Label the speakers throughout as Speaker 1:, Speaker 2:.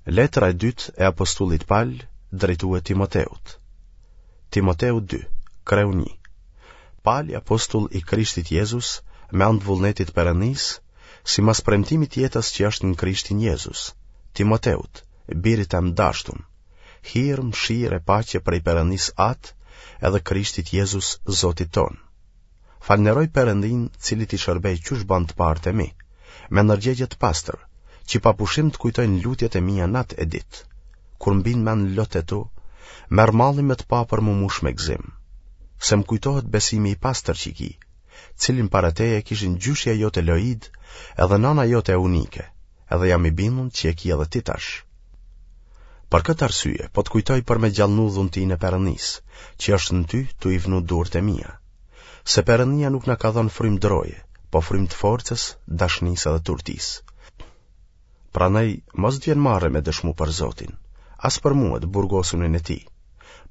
Speaker 1: Letra e dytë e apostullit Pal drejtue Timoteut. Timoteu 2, kreu 1. Pali apostull i Krishtit Jezus, me anë të vullnetit Perëndisë, simas premtimit të jetës që është në Krishtin Jezus, Timoteut, birit tem dashtun, hir, mëshirë e paqe prej Perëndisë Atë edhe Krishtit Jezus, Zotit tonë. Falënderoj Perëndinë, cilit i shërbej qysh banë të parët e mi, me ndërgjegje të pastër, që pa pushim të kujtoj në lutjet e mia natë e ditë. Kur më bin mend lotët e tu, merr malli me të pa për m'u mush me gëzim. Se më kujtohet besimi i pastër që ki, cilin para teje e kishin gjyshja jote Loidë edhe nana jote Eunike, edhe jam i bindun që e ki edhe ti tash. Për këtë arsye, po të kujtoj për me gjallnu dhuntinë e Perëndisë, që është në ty tu i vnu durt e mia. Se Perëndia nuk na ka dhënë frymë droje, po frymë të forcës, dashnisë edhe t'urtisë. Prandaj, mos të vjen marre me dëshmu për Zotin, as për mue të burgosunin e tij.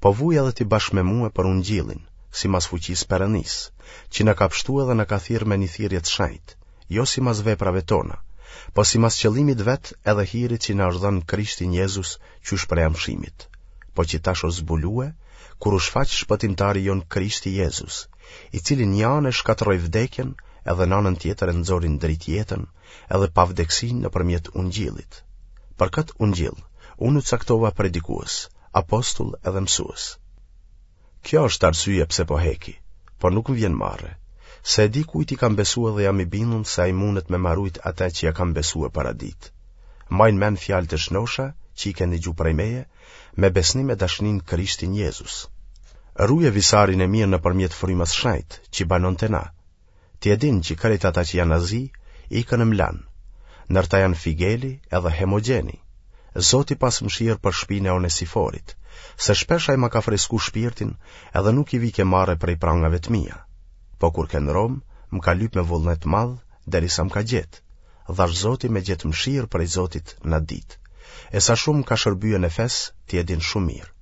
Speaker 1: Po vuj edhe ti bashkë me mue për ungjillin, simas fuqisë Perëndisë, që na ka pshtu edhe na ka thirrë me një thirrje të shenjtë, jo simas veprave tona, po simas qëllimit vet edhe hirit që na është dhënë Krishtin Jezus qysh prej amshimit, po që tash është zbulue, kur u shfaq shpëtimtari jonë Krishti Jezus, i cili një anë e shkatërroi vdekjen edhe në anën tjetër e nxori në dritë jetën edhe pavdekësinë nëpërmjet ungjillit. Për këtë ungjill, unë u caktova predikues, apostull edhe mësues. Kjo është arsyeja pse po heki, por nuk më vjen marre, se e di kujt i kam besue dhe jam i bindun se ai mundet me ma rujt atë që ia kam besue për atë ditë. Maj në mend fjalët e shnosha që i ke ndigju prej meje, me besnim e dashni në Krishtin Jezus. Ruje visarin e mirë nëpërmjet frymës shenjtë që banon te na. Ti e din që krejt ata që janë n'Azi, ikën e më lanë. Ndër ta janë Figeli edhe Hemogjeni. Zoti pastë mëshirë për shpinë e Onesiforit, se shpesh ai ma ka fresku shpirtin edhe nuk i vike marre prej prangave të mia. Po kur ke në Romë, më ka lyp me vullnet të madh, derisa më ka gjetë. Dhashtë Zoti me gjetë mëshirë prej Zotit në atë ditë. E sa shumë më ka shërbye në Efes, ti e din shumë mirë.